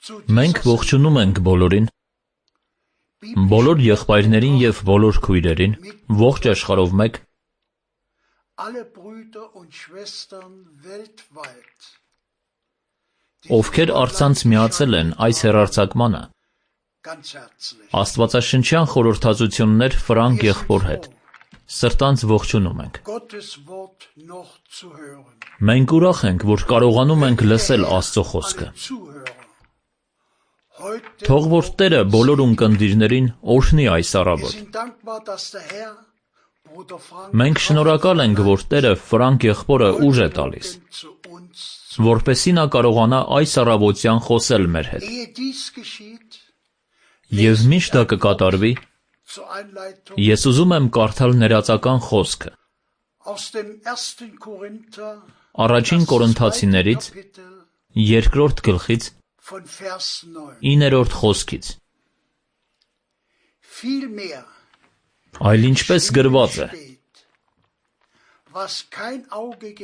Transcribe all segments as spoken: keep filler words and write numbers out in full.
Մենք ողջունում ենք բոլորին, բոլոր եղբայրներին և բոլոր քույրերին, ողջ աշխարհով մեկ, ովքեր առցանց միացել են այս հեռարձակմանը, աստվածաշնչյան խորհրդածություններ Ֆրանկ եղբոր հետ, սրտանց ողջունում ենք։ Մենք ուրախ ենք, որ կարողանում ենք լսել Աստծո խոսքը։ Թող որ Տերը բոլոր ունկնդիրներին օրհնի այս առավոտ։ Մենք շնորհակալ ենք, որ Տերը Ֆրանկ եղբորը ուժ է տալիս, որպեսզի նա կարողանա այս առավոտյան խոսել մեր հետ։ Եվ մինչ դա կկատարվի, ես ուզում եմ կարդալ ներածական խոսքը Առաջին Կորինթացիներից երկրորդ գլխից իններորդ խոսքից։ Այլ ինչպես գրված է.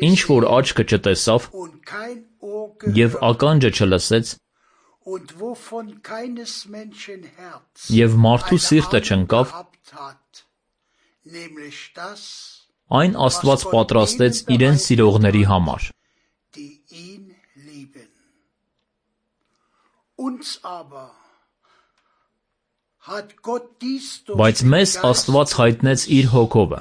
Ինչ որ աչքը չտեսավ և ականջը չլսեց և մարդու սիրտը չընկավ, այն Աստված պատրաստեց իրեն սիրողների համար։ Բայց մեզ Աստված հայտնեց իր Հոգովը,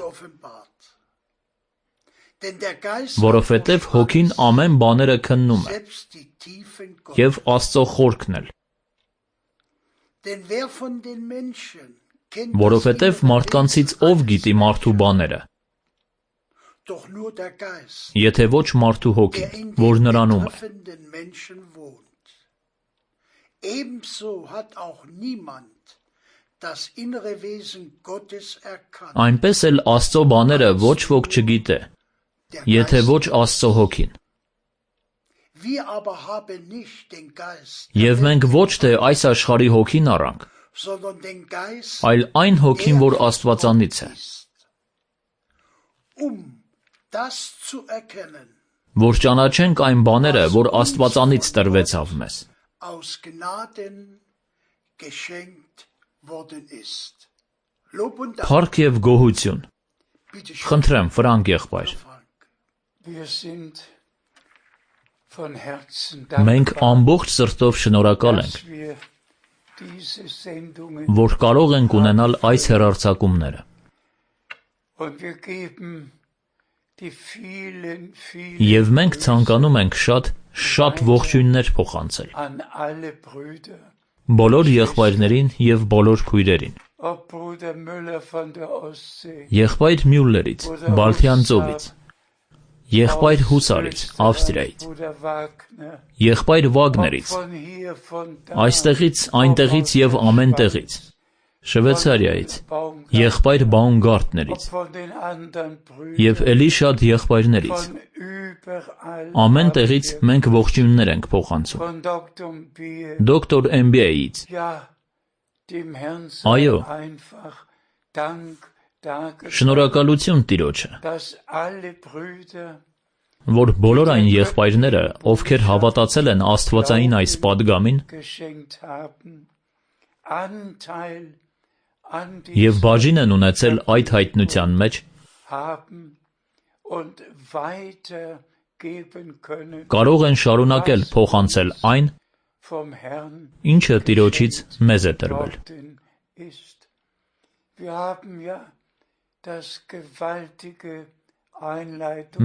որովհետև Հոգին ամեն բաները քննում է, և Աստծո խորքն էլ, որովհետև մարդկանցից ով գիտի մարդու բաները, եթե ոչ մարդու Հոգին, որ նրանում է։ Այնպես էլ Աստծո բաները ոչ ոք չգիտե, եթե ոչ Աստծո Հոգին։ Եվ մենք ոչ թե այս աշխարհի հոգին առանք, այլ այն Հոգին, որ Աստվածանից է, որ ճանաչենք այն բաները, որ Աստվածանից տրվեցավ մեզ։ Փառք և գոհություն։ Խնդրեմ, Ֆրանկ եղբայր։ Մենք ամբողջ սրտով շնորհակալ ենք, որ կարող ենք ունենալ այս հեռարձակումները։ Եվ մենք ցանկանում ենք շատ, շատ ողջույններ փոխանցել բոլոր եղբայրներին և բոլոր քույրերին։ Եղբայր Մյուլլերից, Բալթյան ծովից, եղբայր Հուսարից, Ավստրիայից, եղբայր Վագներից, այստեղից, այնտեղից և ամեն տեղից, Շվեյցարիայից, եղբայր Բաումգարտներից և էլի շատ եղբայրներից, ամեն տեղից մենք ողջույններ ենք փոխանցում, դոկտոր Էմբիեից, այո, շնորհակալություն Տիրոջը, որ բոլոր այն եղբայրները, ովքեր հավատացել են աստվածային այս պատգամին և բաժին են ունեցել այդ հայտնության մեջ, կարող են շարունակել փոխանցել այն, ինչը Տիրոջից մեզ է տրվել։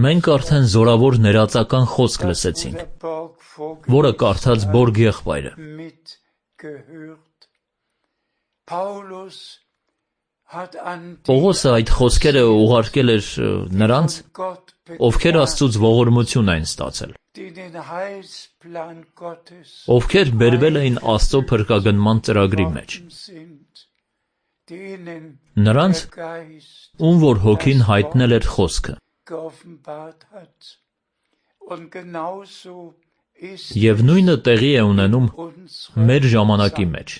Մենք արդեն զորավոր ներածական խոսք լսեցինք, որը կարդաց Բորգ եղբայրը։ Պողոսը այդ խոսքերը ուղարկել էր նրանց, ովքեր Աստծուց ողորմություն էին ստացել, ովքեր բերվել էին Աստծո փրկագնման ծրագրի մեջ, նրանց, ում որ Հոգին հայտնել էր խոսքը, և նույնը տեղի է ունենում մեր ժամանակի մեջ։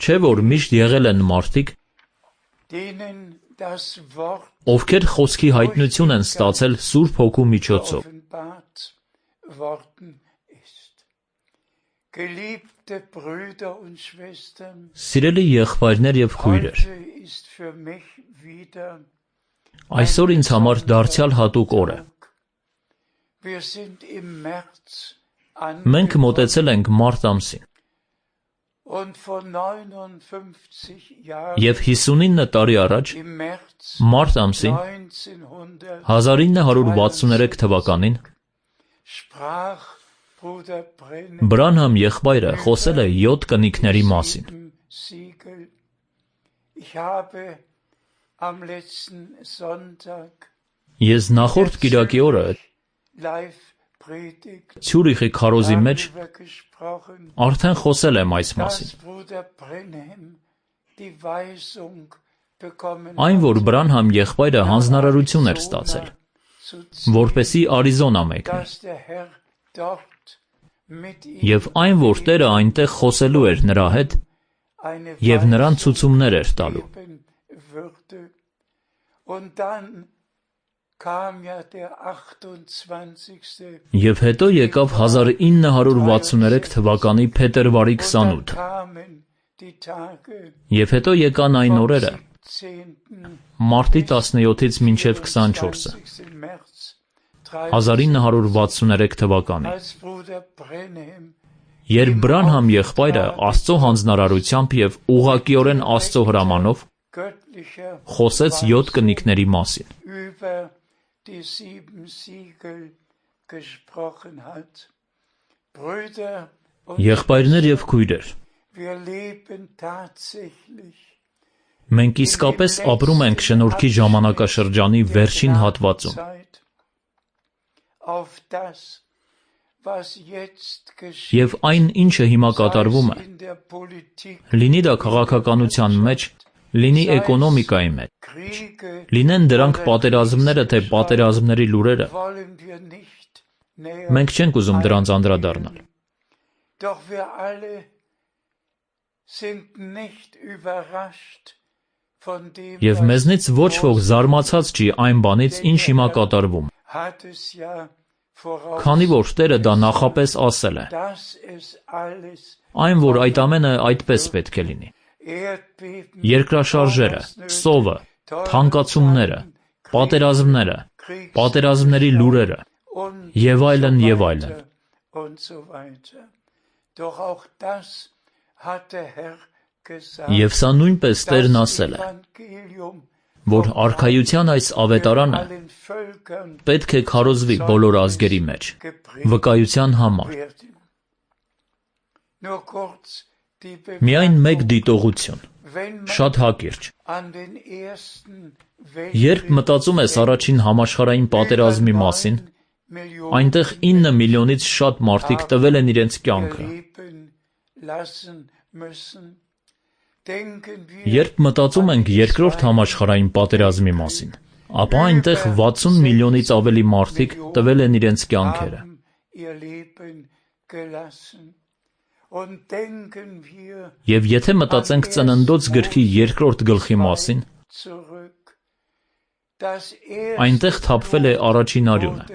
Չէ՞ որ միշտ եղել են մարդիկ, ովքեր խոսքի հայտնություն են ստացել Սուրբ Հոգու միջոցով, worden ist. Geliebte Brüder und Schwestern, Սիրելի եղբայրներ եւ քույրեր, heute ist für mich wieder այսօր ինձ համար դարձյալ հատուկ օր է։ Wir sind im März Մենք մոտեցել ենք մարտ ամսին und vor neunundfünfzig Jahren եւ հիսունինը տարի առաջ im März մարտ ամսին neunzehnhundert հազար ինը հարյուր վաթսուներեք թվականին sprach Bruder Brennem Բրանհամ եղբայրը խոսել է յոթ կնիկների մասին։ Siegel. Ich habe am letzten Sonntag Ես նախորդ կիրակի օրը live predigt Ցյուրիխի քարոզի մեջ darüber gesprochen, արդեն խոսել եմ այս մասին։ dass Bruder Brenhem die Weisung bekommen Այն, որ hat, Բրանհամ եղբայրը հանձնարարություն էր ստացել, zu ziehen, որպեսի Արիզոնա մեկնի, dass der Herr dort mit ihm եւ այն, որ Տերը այնտեղ խոսելու էր նրա հետ eine եւ նրան Weisung ցուցումներ էր տալու։ geben würde. Und dann kam ja der achtundzwanzigste Եվ հետո եկավ հազար ինը հարյուր վաթսուներեք թվականի փետրվարի Und dann քսանութը, kamen die Tage եւ հետո եկան այն vom օրերը siebzehnten մարտի տասնյոթից մինչև քսանչորսը, vierundzwanzigsten März հազար ինը հարյուր վաթսուներեք թվականին, als Bruder Brenhem երբ Բրանհամ եղբայրը Աստծո հանձնարարությամբ եւ ուղղակիորեն Աստծո հրամանով göttlicher խոսեց յոթ կնիկների մասին։ über die sieben Siegel gesprochen hat. Brüder und Եղբայրներ եւ քույրեր, wir leben tatsächlich մենք իսկապես ապրում ենք շնորհքի ժամանակաշրջանի վերջին հատվածում, Zeit auf das, was jetzt geschieht, եւ այն, ինչը հիմա կատարվում է, in der Politik, լինի դա քաղաքականության մեջ, լինի էկոնոմիկայի մեջ, Kriege, լինեն դրանք պատերազմները թե պատերազմների լուրերը, wollen wir nicht näher. մենք չենք ուզում դրանց անդրադառնալ։ Doch wir alle sind nicht überrascht von dem, Եվ was մեզնից ոչ ոք զարմացած չի այն բանից, ինչ հիմա կատարվում, hat es ja voraus, քանի որ Տերը դա նախապես ասել է, dass es alles այն, որ այդ ամենը այդպես պետք է լինի։ Erdbeben, Երկրաշարժերը, սովը, թանկացումները, պատերազմները, պատերազմների լուրերը und եւ so այլն եւ weiter այլն։ und so weiter. Doch auch das hat der Herr gesagt, Եվ սա նույնպես Տերն das ասել է, Evangelium որ արքայության այս ավետարանը allen Völkern պետք է քարոզվի բոլոր ազգերի մեջ, վկայության համար։ werden. Nur kurz die Միայն Bemerkung, մեկ դիտողություն, wenn man շատ հակիրճ։ an den ersten Երբ մտածում ես առաջին համաշխարհային պատերազմի մասին, այնտեղ ինը միլիոնից շատ մարդիկ տվել են իրենց կյանքը։ Երբ մտածում ենք երկրորդ համաշխարհային պատերազմի մասին, ապա այնտեղ վաթսուն միլիոնից ավելի մարդիկ տվել են իրենց կյանքերը։ Եվ եթե մտածենք Ծննդոց գրքի երկրորդ գլխի մասին, այնտեղ թափվել է առաջին արյունը։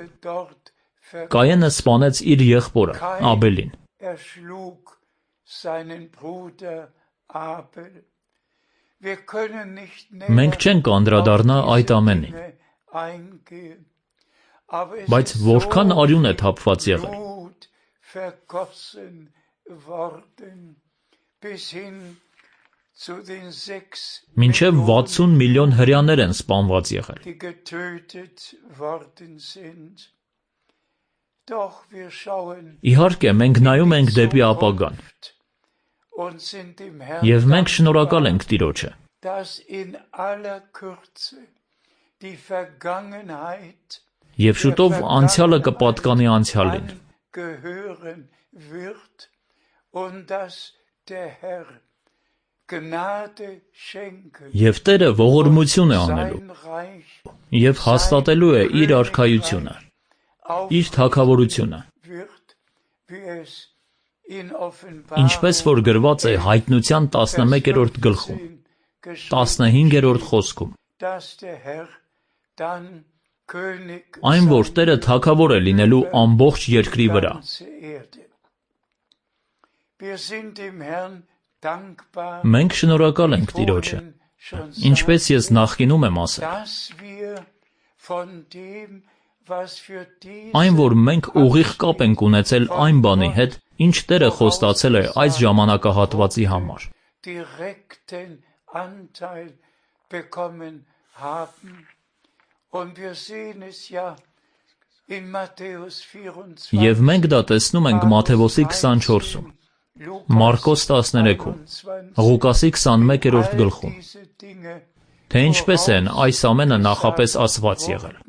Կայենը սպանեց իր եղբորը Աբելին։ Մենք չենք անդրադառնա այդ ամենին, բայց որքան արյուն է թափված եղել։ Մինչև վաթսուն միլիոն հրեաներ են սպանված եղել։ Իհարկե, մենք նայում ենք դեպի ապագան, եւ մենք շնորհակալ ենք Տիրոջը, եւ շուտով անցյալը կպատկանի անցյալին, եւ Տերը ողորմություն է անելու եւ հաստատելու է իր արքայությունը, իր թագավորությունը, ինչպես որ գրված է Հայտնության տասնմեկերորդ գլխում, տասնհինգերորդ խոսքում, այն, որ Տերը թագավոր է լինելու ամբողջ երկրի վրա։ Մենք շնորհակալ ենք Տիրոջը, ինչպես ես նախկինում եմ ասել, այն, որ մենք ուղիղ կապ ենք ունեցել այն բանի հետ, ինչ Տերը խոստացել է այս ժամանակահատվածի համար։ Եվ մենք դա տեսնում ենք Մատթեոսի քսանչորսում, Մարկոս տասներեքում, Ղուկասի քսանմեկերորդ գլխում, թե ինչպես են այս ամենը նախապես ասված եղել։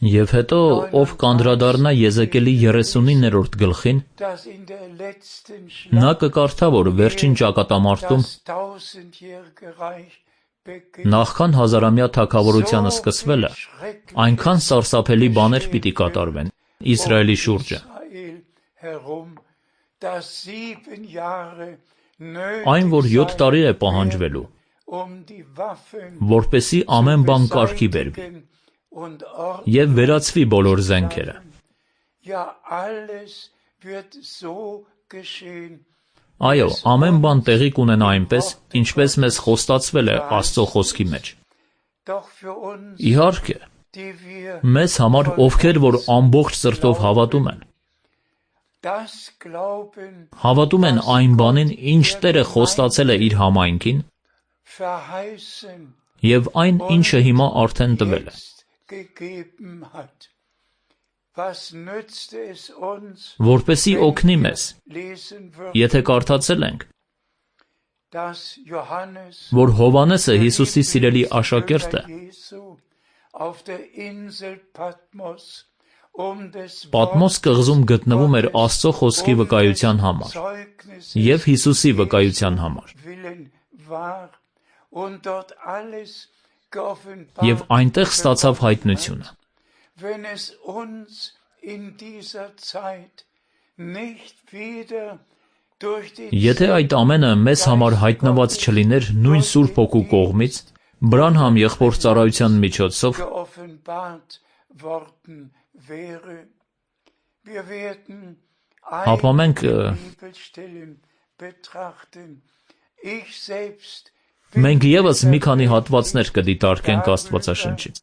Եվ հետո ով կանդրադառնա Եզեկիելի երեսունիններորդ գլխին, նա կկարդա, որ վերջին ճակատամարտում, նախքան հազարամյա թագավորությանը սկսվելը, այնքան սարսափելի բաներ պիտի կատարվեն Իսրայելի շուրջը, այն, որ յոթ տարի է պահանջվելու, որպեսզի ամեն բան կարգի բերվի և վերացվի բոլոր զենքերը։ Այո, ամեն բան տեղի կունենա այնպես, ինչպես մեզ խոստացվել է Աստծո խոսքի մեջ։ Իհարկե, մեզ համար, ովքեր որ ամբողջ սրտով հավատում են, հավատում են այն բանին, ինչ Տերը խոստացել է իր համայնքին, և այն, ինչը հիմա արդեն տվել է։ Որպեսզի օգնի մեզ, եթե կարդացել ենք, որ Հովհաննեսը Հիսուսի սիրելի աշակերտը Պատմոս կղզում գտնվում էր Աստծո խոսքի վկայության համար և Հիսուսի վկայության համար, և այնտեղ ստացավ հայտնությունը։ Եթե այդ ամենը մեզ համար հայտնված չլիներ նույն Սուրբ Հոգու կողմից, Բրանհամ եղբոր ծառայության միջոցով, ապա մենք մենք ևս մի քանի հատվածներ կդիտարկենք Աստվածաշնչից։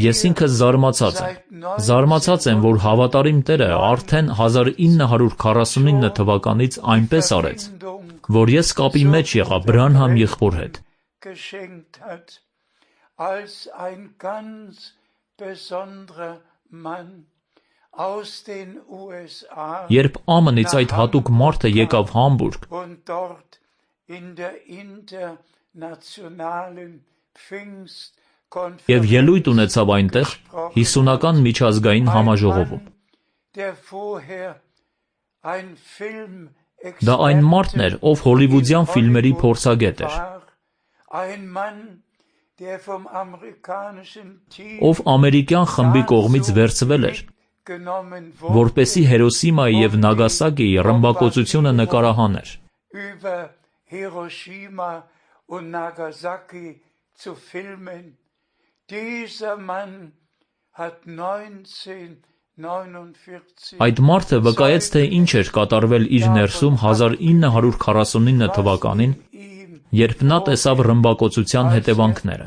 Ես ինքս զարմացած եմ, զարմացած եմ, որ հավատարիմ Տերը արդեն հազար ինը հարյուր քառասունինը թվականից այնպես արեց, որ ես կապի մեջ եղա Բրանհամ եղբոր հետ։ Երբ ԱՄՆ-ից այդ հատուկ մարդը եկավ Համբուրգ և ելույթ ունեցավ այնտեղ հիսունական միջազգային համաժողովում, դա այն մարդն էր, ով հոլիվուդյան ֆիլմերի փորձագետ էր, ով ամերիկյան խմբի կողմից վերցվել էր, որպեսզի Հիրոսիմայի և Նագասակիի ռմբակոծությունը նկարահաներ։ Այդ մարդը վկայեց, թե ինչ էր կատարվել իր ներսում հազար ինը հարյուր քառասունինը թվականին, երբ նա տեսավ ռմբակոծության հետևանքները։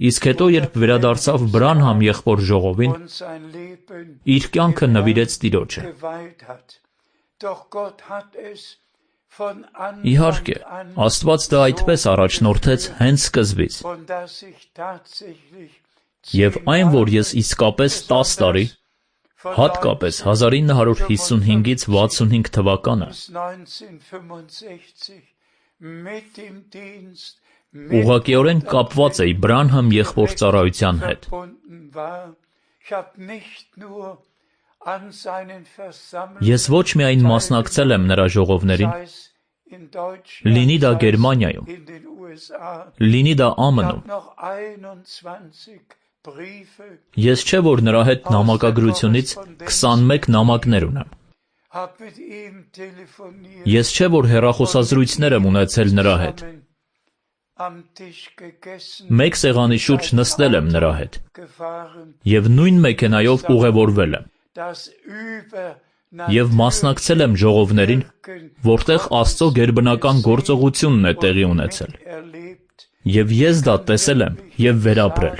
Իսկ հետո, երբ վերադարձավ Բրանհամ եղբոր ժողովին, իր կյանքը նվիրեց Տիրոջը։ Իհարկե, Աստված դա այդպես առաջնորդեց հենց սկզբից։ Եվ այն, որ ես իսկապես տաս տարի, հատկապես հազար ինը հարյուր հիսունհինգից վաթսունհինգ թվականը, ուղղակիորեն կապված էի Բրանհամ եղբոր ծառայության հետ։ Ես ոչ միայն մասնակցել եմ նրա ժողովներին, լինի դա Գերմանիայում, լինի դա Ա Մ Ն-ում։ Ես չէ որ նրա հետ նամակագրությունից քսանմեկ նամակներ ունեմ։ Ես չէ որ հեռախոսազրույցներ եմ ունեցել նրա հետ։ Մեկ սեղանի շուրջ նստել եմ նրա հետ և նույն մեքենայով ուղևորվել եմ և մասնակցել եմ ժողովներին, որտեղ Աստծո գերբնական գործողությունն է տեղի ունեցել, և ես դա տեսել եմ և վերապրել։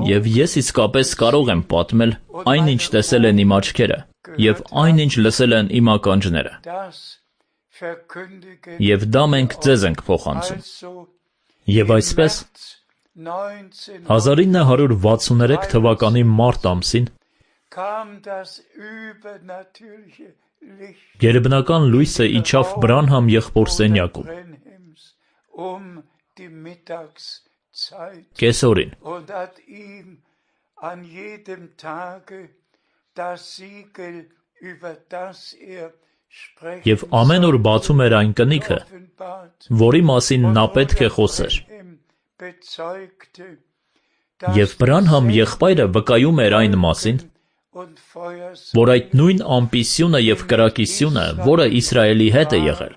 Եվ ես իսկապես կարող եմ պատմել այն, ինչ տեսել են իմ աչքերը, և այն, ինչ լսել են իմ ականջները։ Եվ դա մենք ձեզ ենք փոխանցում։ Եվ այսպես, հազար ինը հարյուր վաթսուններեք թվականի մարտ ամսին գերբնական լույսը իջավ Բրանհամ եղբոր սենյակում, կեսօրին, և ամեն օր բացում էր այն կնիքը, որի մասին նա պետք է խոսեր։ Եվ Բրանհամ եղբայրը վկայում էր այն մասին, որ այդ նույն ամպի սյունը և կրակի սյունը, որը Իսրայելի հետ է եղել,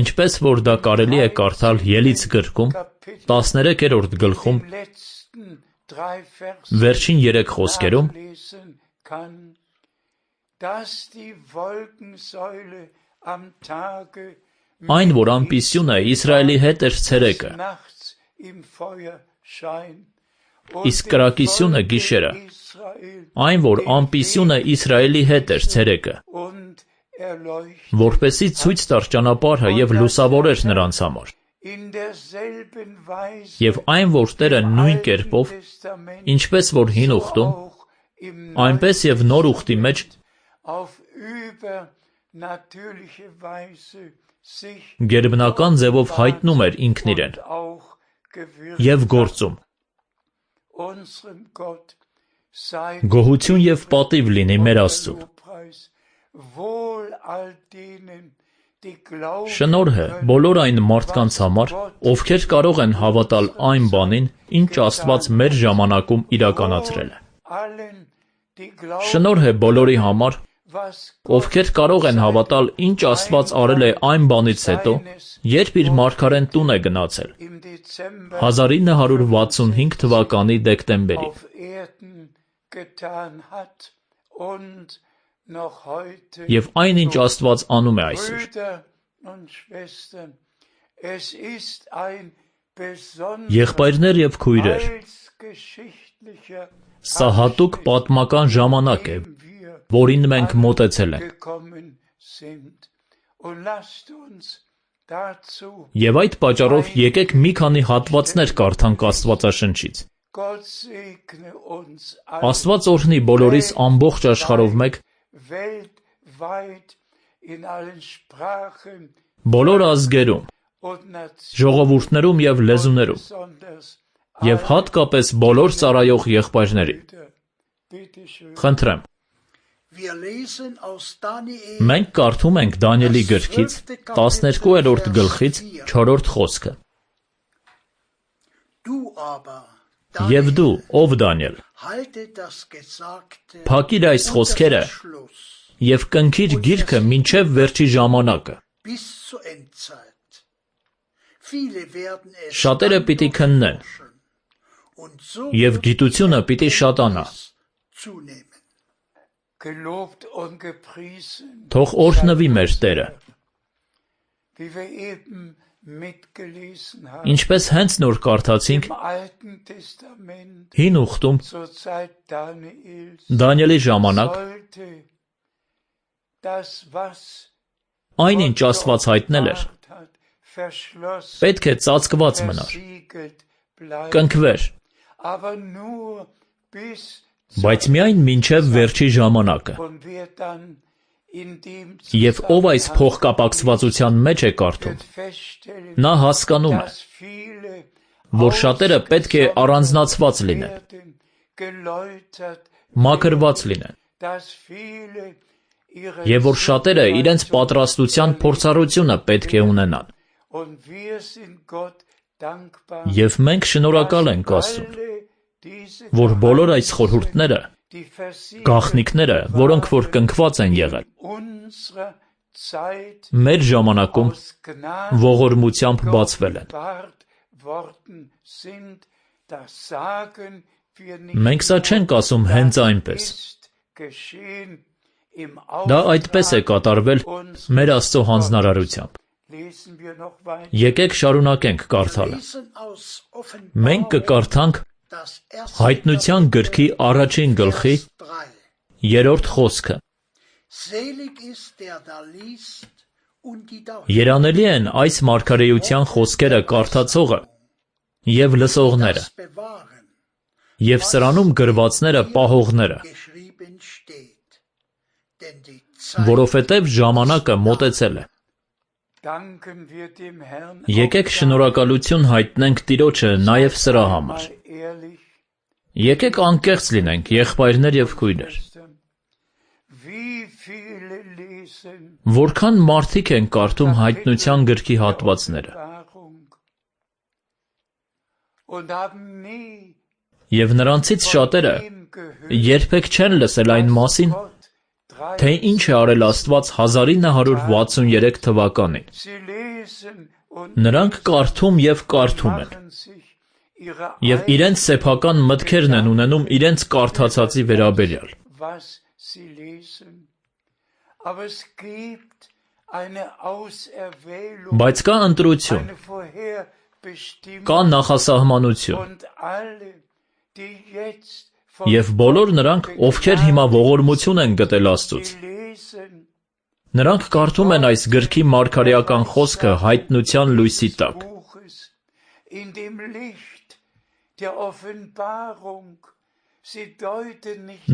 ինչպես որ դա կարելի է կարդալ Ելից գրքում, տասներեքերորդ գլխում, վերջին երեք խոսքերում, այն, որ ամպի սյունը Իսրայելի հետ էր ցերեկը, իսկ կրակի սյունը գիշերը, այն, որ ամպի սյունը Իսրայելի հետ էր ցերեկը, որպեսզի ցույց տար ճանապարհը և լուսավորեր նրանց համար, և այն, որ Տերը նույն կերպով, ինչպես որ Հին ուխտում, այնպես և Նոր ուխտի մեջ գերբնական ձևով հայտնում էր ինքն իրեն և գործում։ Գոհություն և պատիվ լինի մեր Աստծուն։ Շնորհը բոլոր այն մարդկանց համար, ովքեր կարող են հավատալ այն բանին, ինչ Աստված մեր ժամանակում իրականացրել է։ Շնորհ է բոլորի համար, ովքեր կարող են հավատալ, ինչ Աստված արել է այն բանից հետո, երբ իր մարգարեն տուն է գնացել, հազար ինը հարյուր վաթսունհինգ թվականի դեկտեմբերին։ Եվ այն, ինչ Աստված անում է այսօր։ Եղբայրներ և քույրեր, սա հատուկ պատմական ժամանակ է, որին մենք մոտեցել ենք։ Եվ այդ պատճառով եկեք մի քանի հատվածներ կարդանք Աստվածաշնչից։ Աստված օրհնի բոլորիս ամբողջ աշխարհով մեկ, բոլոր ազգերում, ժողովուրդներում և լեզուներում, և հատկապես բոլոր ծառայող եղբայրներին։ Խնդրեմ։ Մենք կարդում ենք Դանիելի գրքից տասներկուերորդ գլխից չորրորդ խոսքը։ Եվ դու, ով Դանիել, փակիր այս խոսքերը և կնքիր գիրքը մինչև վերջի ժամանակը։ Շատերը պիտի քննեն, և գիտությունը պիտի շատանա։ Թող օրհնվի մեր Տերը։ Ինչպես հենց նոր կարդացինք Հին ուխտում, Դանիելի ժամանակ, այն, ինչ Աստված հայտնել էր, պետք է ծածկված մնար, կնքվեր, բայց միայն մինչև վերջի ժամանակը։ Եվ ով այս փոխկապակցվածության մեջ է կարդում, նա հասկանում է, որ շատերը պետք է առանձնացված լինեն, մաքրված լինեն, Եվ որ շատերը իրենց պատրաստության փորձառությունը պետք է ունենան։ Եվ մենք շնորհակալ ենք Աստծուն, որ բոլոր այս խորհուրդները, գաղտնիքները, որոնք որ կնքված են եղել, մեր ժամանակում ողորմությամբ բացվել են։ Մենք սա չենք ասում հենց այնպես։ Դա այդպես է կատարվել մեր Աստծո հանձնարարությամբ։ Եկեք շարունակենք կարդալը։ Մենք կկարդանք Հայտնության գրքի առաջին գլխի երրորդ խոսքը։ Երանելի են այս մարգարեության խոսքերը կարդացողը և լսողները, և սրանում գրվածները պահողները, որովհետև ժամանակը մոտեցել է։ Եկեք շնորհակալություն հայտնենք Տիրոջը նաև սրա համար։ Եկեք անկեղծ լինենք, եղբայրներ և քույրեր։ Որքան մարդիկ են կարդում Հայտնության գրքի հատվածները։ Եվ նրանցից շատերը երբեք չեն լսել այն մասին, թե ինչ է արել Աստված հազար ինը հարյուր վաթսուներեք թվականին։ Նրանք կարդում և կարդում են, և իրենց սեփական մտքերն են ունենում իրենց կարդացածի վերաբերյալ։ Բայց կա ընտրություն, կա նախասահմանություն, և բոլոր նրանք, ովքեր հիմա ողորմություն են գտել Աստծուց, նրանք կարդում են այս գրքի մարգարեական խոսքը հայտնության լույսի տակ։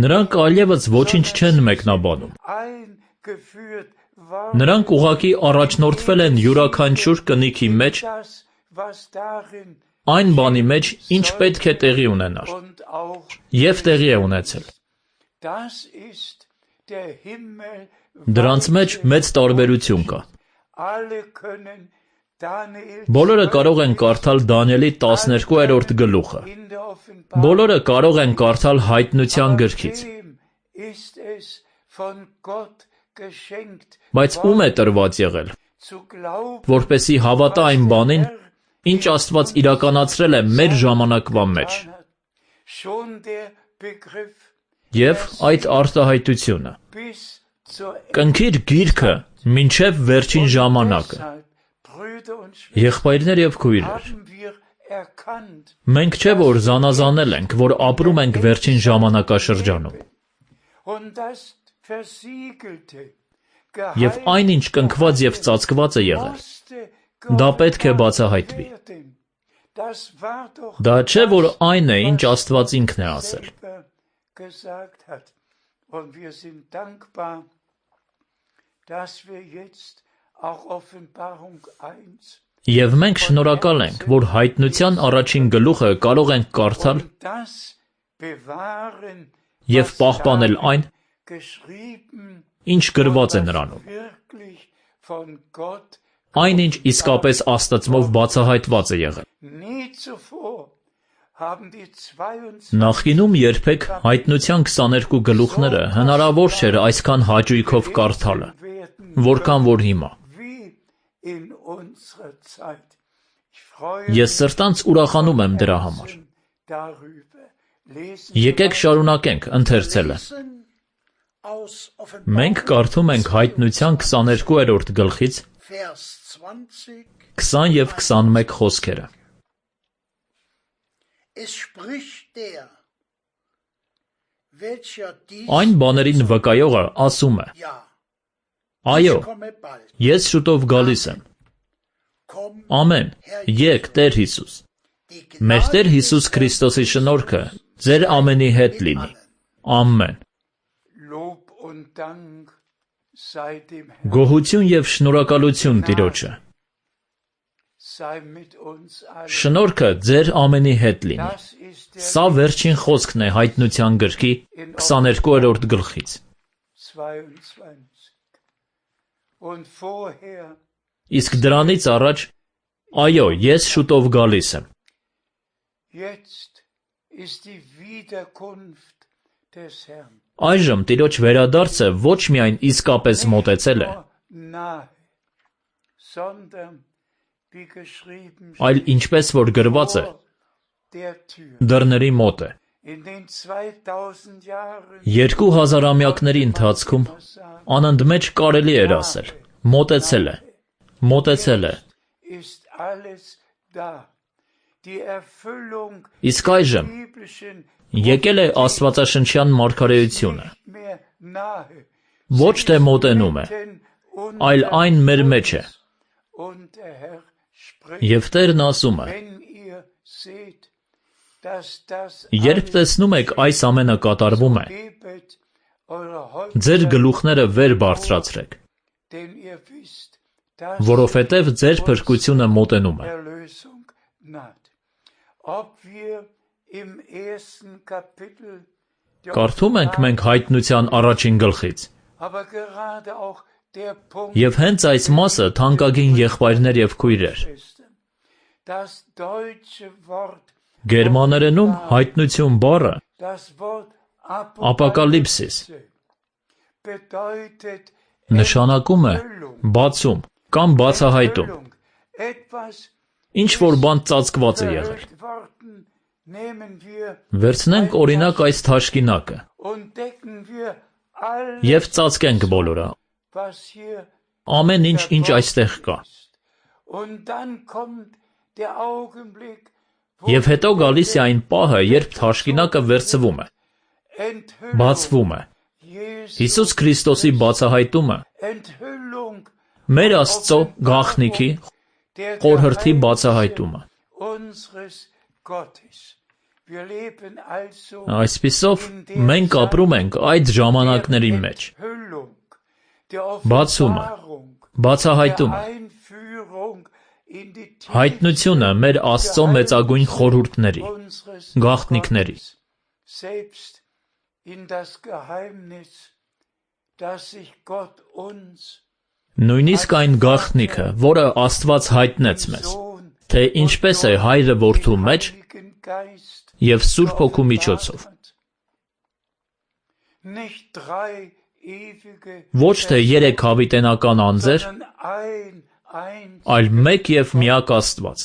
Նրանք այլևս ոչինչ չեն մեկնաբանում։ Նրանք ուղղակի առաջնորդվել են յուրաքանչյուր կնիքի մեջ, այն բանի մեջ, ինչ պետք է տեղի ունենար, և տեղի է ունեցել։ Դրանց մեջ մեծ տարբերություն կա։ Բոլորը կարող են կարդալ Դանիելի տասներկուերորդ գլուխը։ Բոլորը կարող են կարդալ Հայտնության գրքից։ Բայց ում է տրված եղել, որպեսզի հավատա այն բանին, ինչ Աստված իրականացրել է մեր ժամանակվա մեջ։ Եվ այդ արտահայտությունը։ Կնքիր գիրքը մինչև վերջին ժամանակը։ Եղբայրներ և քույրեր, մենք չէ որ զանազանել ենք, որ ապրում ենք վերջին ժամանակաշրջանում։ Եվ այն, ինչ կնքված և ծածկված է եղել, դա պետք է բացահայտվի։ Դա չէ որ այն է, ինչ Աստված ինքն է ասել։ Եվ մենք շնորհակալ ենք, որ Հայտնության առաջին գլուխը կարող ենք կարդալ և պահպանել այն, ինչ գրված է նրանում։ Այն, ինչ իսկապես Աստծմով բացահայտված է եղել։ Նախկինում երբեք Հայտնության քսաներկու գլուխները հնարավոր չէր այսքան հաճույքով կարդալը, որքան որ հիմա։ Ես սրտանց ուրախանում եմ դրա համար։ Եկեք շարունակենք ընթերցելը։ Մենք կարդում ենք Հայտնության քսաներկուերորդ գլխից քսան և քսանմեկ խոսքերը։ Այն բաներին վկայողը ասում է. Այո, ես շուտով գալիս եմ։ Ամեն, եկ Տեր Հիսուս։ Մեր Տեր Հիսուս Քրիստոսի շնորհքը ձեր ամենի հետ լինի։ Ամեն։ Գոհություն և շնորհակալություն Տիրոջը։ Շնորհքը ձեր ամենի հետ լինի։ Սա վերջին խոսքն է Հայտնության գրքի քսաներկուերորդ գլխից։ Իսկ դրանից առաջ, այո, ես շուտով գալիս եմ։ Այժմ Տիրոջ վերադարձը ոչ միայն իսկապես մոտեցել է, այլ ինչպես որ գրված է, դռների մոտ է։ Երկու հազարամյակների ընթացքում անընդմեջ կարելի էր ասել, մոտեցել է, մոտեցել է։ Իսկ այժմ եկել է աստվածաշնչյան մարգարեությունը։ Ոչ թե մոտենում է, այլ այն մեր մեջ է։ Եվ Տերն ասում է. երբ տեսնում եք այս ամենը կատարվում է, ձեր գլուխները վեր բարձրացրեք, որովհետև ձեր փրկությունը մոտենում է։ Կարդում ենք մենք Հայտնության առաջին գլխից։ Եվ հենց այս մասը, թանկագին եղբայրներ և քույրեր, գերմաներենում հայտնություն բառը ապոկալիպսիս նշանակում է բացում կամ բացահայտում, ինչ որ բան ծածկված է եղել։ Վերցնենք օրինակ այս թաշկինակը և ծածկենք բոլորը, ամեն ինչ, ինչ այստեղ կա։ Եվ հետո գալիս է այն պահը, երբ թաշկինակը վերցվում է, բացվում է։ Հիսուս Քրիստոսի բացահայտումը, մեր Աստծո գաղտնիքի, խորհրդի բացահայտումը։ Այսպիսով, մենք ապրում ենք այդ ժամանակների մեջ։ Բացումը, բացահայտումը, հայտնությունը մեր Աստծո մեծագույն խորհուրդների, գաղտնիքների։ Նույնիսկ այն գաղտնիքը, որը Աստված հայտնեց մեզ, թե ինչպես է Հայրը Որդու մեջ և Սուրբ Հոգու միջոցով։ Ոչ թե երեք հավիտենական անձեր, այլ մեկ և միակ Աստված։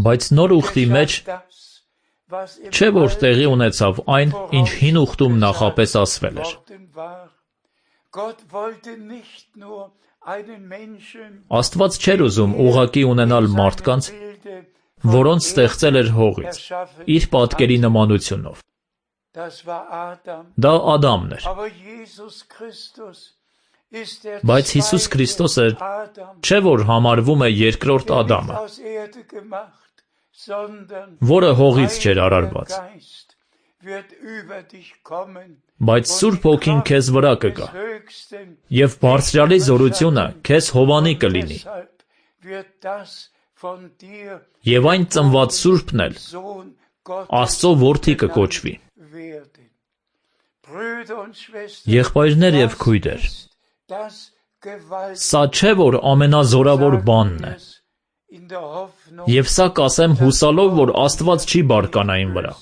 Բայց նոր ուխտի մեջ չէ, որ տեղի ունեցավ այն, ինչ հին ուխտում նախապես ասվել էր։ Աստված չէր ուզում ուղղակի ունենալ մարդկանց, որոնց ստեղծել էր հողից, իր պատկերի նմանությունով։ Դա Ադամն էր։ Բայց Հիսուս Քրիստոսը չէ, որ համարվում է երկրորդ Ադամը, որը հողից չէր արարված։ Բայց Սուրբ Հոգին քեզ վրա կգա, և Բարձրյալի զորությունը քեզ հովանի կլինի, և այն ծնված Սուրբն էլ Աստծո որդի կկոչվի։ Եղբայրներ և քույրեր, սա չէ, որ ամենազորավոր բանն է, և սա կասեմ հուսալով, որ Աստված չի բարկանա իմ վրա։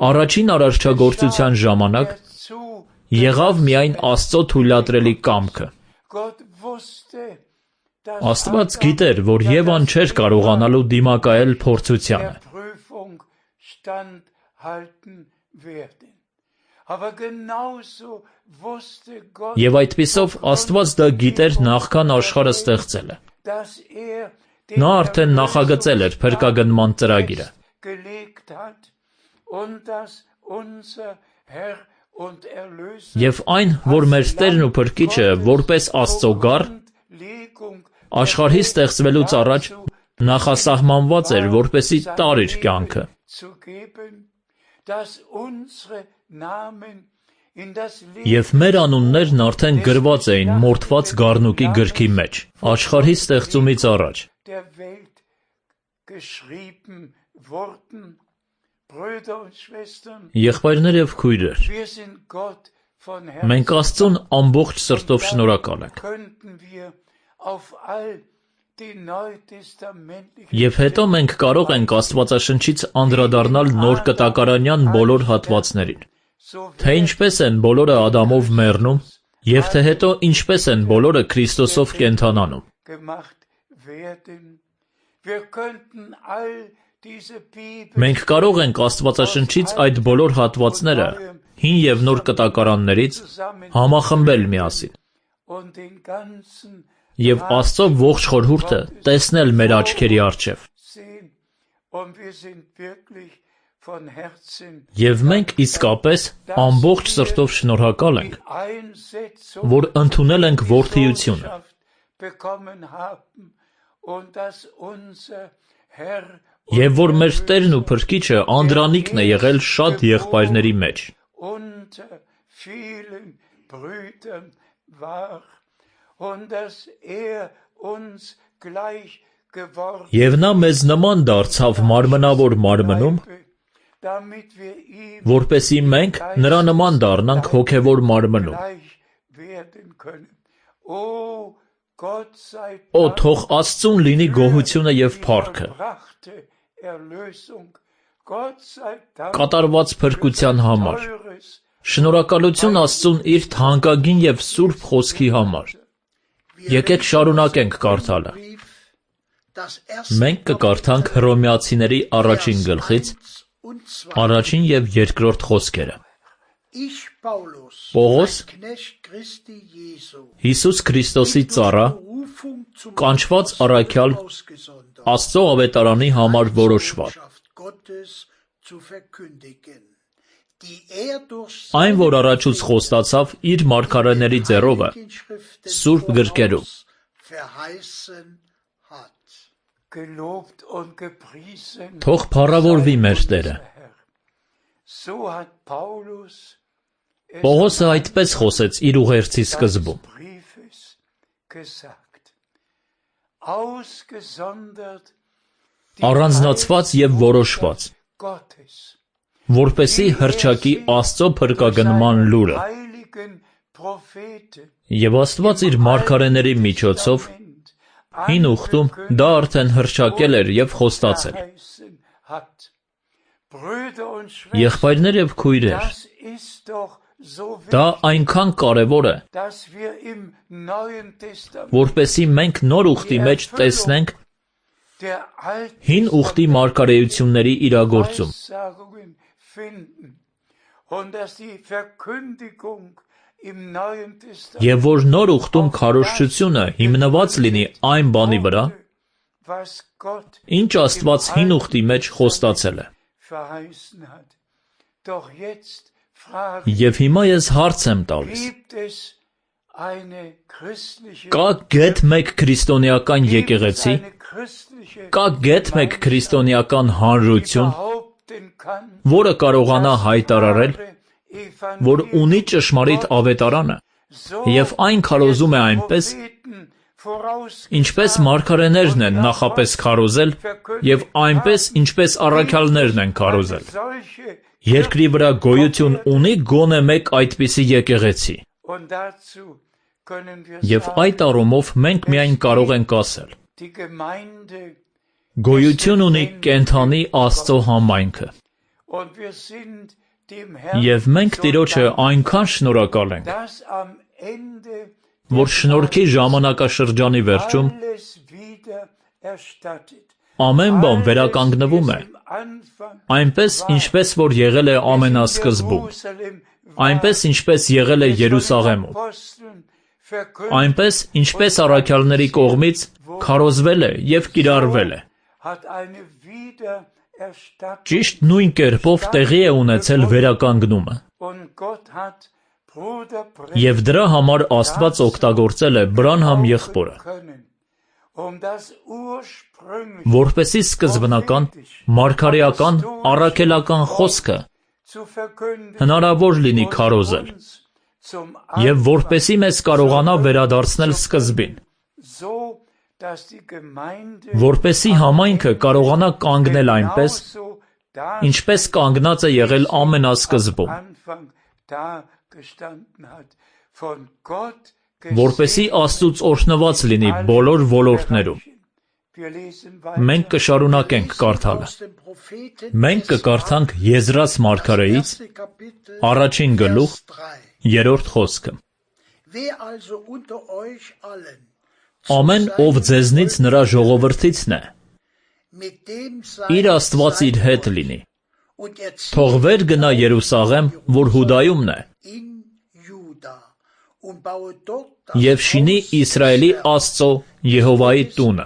Առաջին արարչագործության ժամանակ եղավ միայն Աստծո թույլատրելի կամքը։ Աստված գիտեր, որ Եվան չէր կարողանալու դիմակայել փորձությանը։ Եվ այդպիսով Աստված դա գիտեր նախքան աշխարհը ստեղծելը։ Նա արդեն նախագծել էր փրկագնման ծրագիրը։ Եվ այն, որ մեր Տերն ու Փրկիչը որպես Աստծո գառ աշխարհի ստեղծվելուց առաջ նախասահմանված էր, որպեսզի տար իր կյանքը։ Եվ մեր անուններն արդեն գրված էին մորթված գառնուկի գրքի մեջ, աշխարհի ստեղծումից առաջ։ Եղբայրներ եւ քույրեր, մենք Աստծուն ամբողջ սրտով շնորհակալ ենք։ Եվ հետո մենք կարող ենք Աստվածաշնչից անդրադառնալ նոր կտակարանյան բոլոր հատվածներին, թե ինչպես են բոլորը Ադամով մեռնում, եւ թե հետո ինչպես են բոլորը Քրիստոսով կենդանանում։ Մենք կարող ենք Աստվածաշնչից այդ բոլոր հատվածները հին եւ նոր կտակարաններից համախմբել միասին եւ Աստծո ողջ խորհուրդը տեսնել մեր աչքերի առջև։ Եվ մենք իսկապես ամբողջ սրտով շնորհակալ ենք, որ ընդունել ենք որդիությունը, եւ որ մեր Տերն ու Փրկիչը անդրանիկն է եղել շատ եղբայրների մեջ։ Եվ նա մեզ նման դարձավ մարմնավոր մարմնում, որպեսզի մենք նրա նման դառնանք հոգևոր մարմնում։ Օ, թող Աստծուն լինի գոհությունը եւ փառքը կատարված փրկության համար։ Շնորհակալություն Աստծուն իր թանկագին եւ սուրբ խոսքի համար։ Եկեք շարունակենք կարդալը։ Մենք կկարդանք Հռոմեացիների առաջին գլխից առաջին եւ երկրորդ խոսքերը։ Պողոս, Հիսուս Քրիստոսի ծառա, կանչված առաքյալ Աստծո ավետարանի համար որոշված, այն, որ առաջուց խոստացավ իր մարգարեների ձեռովը սուրբ գրքերում, թող փառավորվի մեր Տերը։ Պողոսը այդպես խոսեց իր ուղերձի սկզբում. առանձնացված եւ որոշված, որպեսզի հռչակի Աստծո փրկագնման լուրը, եւ Աստված իր մարգարեների միջոցով հին ուխտում դա արդեն հռչակել էր եւ խոստացել։ Եղբայրներ եւ քույրեր, դա այնքան կարևոր է, որպեսզի մենք նոր ուխտի մեջ տեսնենք հին ուխտի մարգարեությունների իրագործում։ Եվ որ նոր ուխտում քարոզչությունը հիմնված լինի այն բանի վրա, ինչ Աստված հին ուխտի մեջ խոստացել է։ Եվ հիմա ես հարց եմ տալիս. կա գեթ մեկ քրիստոնեական եկեղեցի, կա գեթ մեկ քրիստոնեական հանրություն, որը կարողանա հայտարարել, որ ունի ճշմարիտ ավետարանը, եւ այն քարոզում է այնպես, ինչպես մարգարեներն են նախապես քարոզել, եւ այնպես, ինչպես առաքյալներն են քարոզել։ Երկրի վրա գոյություն ունի գոնե մեկ այդպիսի եկեղեցի։ Եվ այդ առումով մենք միայն կարող ենք ասել. գոյություն ունի կենդանի Աստծո համայնքը։ Եվ մենք Տիրոջը այնքան շնորհակալ ենք, որ շնորհքի ժամանակաշրջանի վերջում ամեն բան վերականգնվում է, այնպես, ինչպես որ եղել է ամենասկզբում, այնպես, ինչպես եղել է Երուսաղեմում, այնպես, ինչպես առաքյալների կողմից քարոզվել է եւ կիրառվել է։ Ճիշտ նույն կերպով տեղի է ունեցել վերականգնումը։ Եվ դրա համար Աստված օգտագործել է Բրանհամ եղբորը, որպեսզի սկզբնական, մարգարեական, առաքելական խոսքը հնարավոր լինի քարոզել, եւ որպեսի մեզ կարողանա վերադարձնել սկզբին, որպեսի համայնքը կարողանա կանգնել այնպես, ինչպես կանգնած է եղել ամենասկզբում, որպեսի Աստծուց օրհնված լինի բոլոր ոլորտներում։ Մենք կշարունակենք կարդալը։ Մենք կկարդանք Եզրած մարգարեից առաջին գլուխ երրորդ խոսքը։ Ամեն ով ձեզնից նրա ժողովրդիցն է, իր Աստված իր հետ լինի, թող վեր գնա Երուսաղեմ, որ Հուդայումն է, և շինի Իսրայելի Աստծո Եհովայի տունը։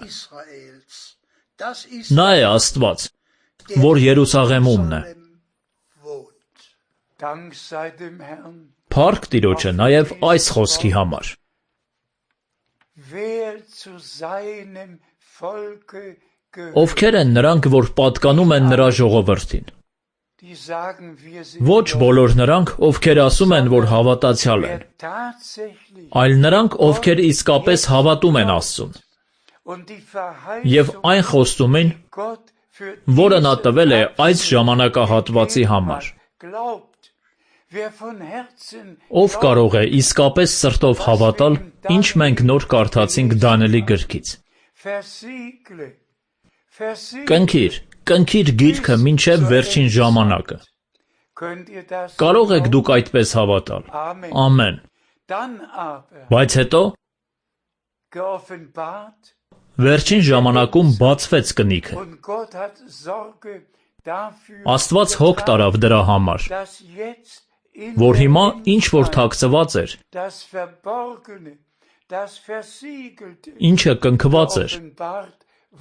Նա է Աստված, որ Երուսաղեմումն է։ Փառք Տիրոջը նաև այս խոսքի համար։ Ովքեր են նրանք, որ պատկանում են նրա ժողովրդին։ Ոչ բոլոր նրանք, ովքեր ասում են, որ հավատացյալ են, այլ նրանք, ովքեր իսկապես հավատում են Աստծուն, և այն խոստումին, որը նա տվել է այս ժամանակահատվածի համար։ Ով կարող է իսկապես սրտով հավատալ, ինչ մենք նոր կարդացինք Դանիելի գրքից։ Կնքիր, կնքիր գիրքը մինչև վերջին ժամանակը։ Կարող եք դուք այդպես հավատալ։ Ամեն։ Բայց հետո վերջին ժամանակում բացվեց կնիքը։ Աստված հոգ տարավ դրա համար, որ հիմա ինչ որ թաքցված էր, ինչը կնքված էր,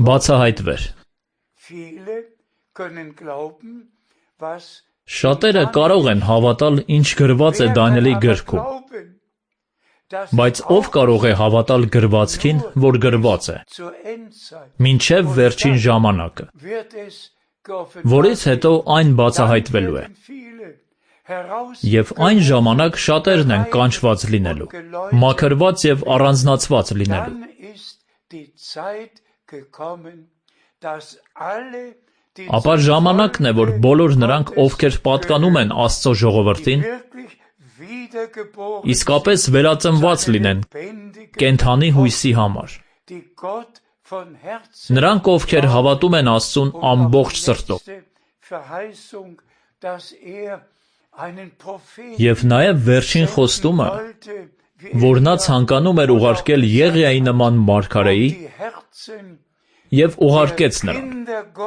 բացահայտվեր։ Շատերը կարող են հավատալ, ինչ գրված է Դանիելի գրքում, բայց ով կարող է հավատալ գրվածքին, որ գրված է, մինչև վերջին ժամանակը, որից հետո այն բացահայտվելու է։ Եվ այն ժամանակ շատերն են կանչված լինելու, մաքրված և առանձնացված լինելու։ Ապա ժամանակն է, որ բոլոր նրանք, ովքեր պատկանում են Աստծո ժողովրդին, իսկապես վերածնված լինեն կենդանի հույսի համար։ Նրանք, ովքեր հավատում են Աստծուն ամբողջ սրտով, և նաև վերջին խոստումը, որ նա ցանկանում էր ուղարկել Եղիայի նման մարգարեի, և ուղարկեց նրան,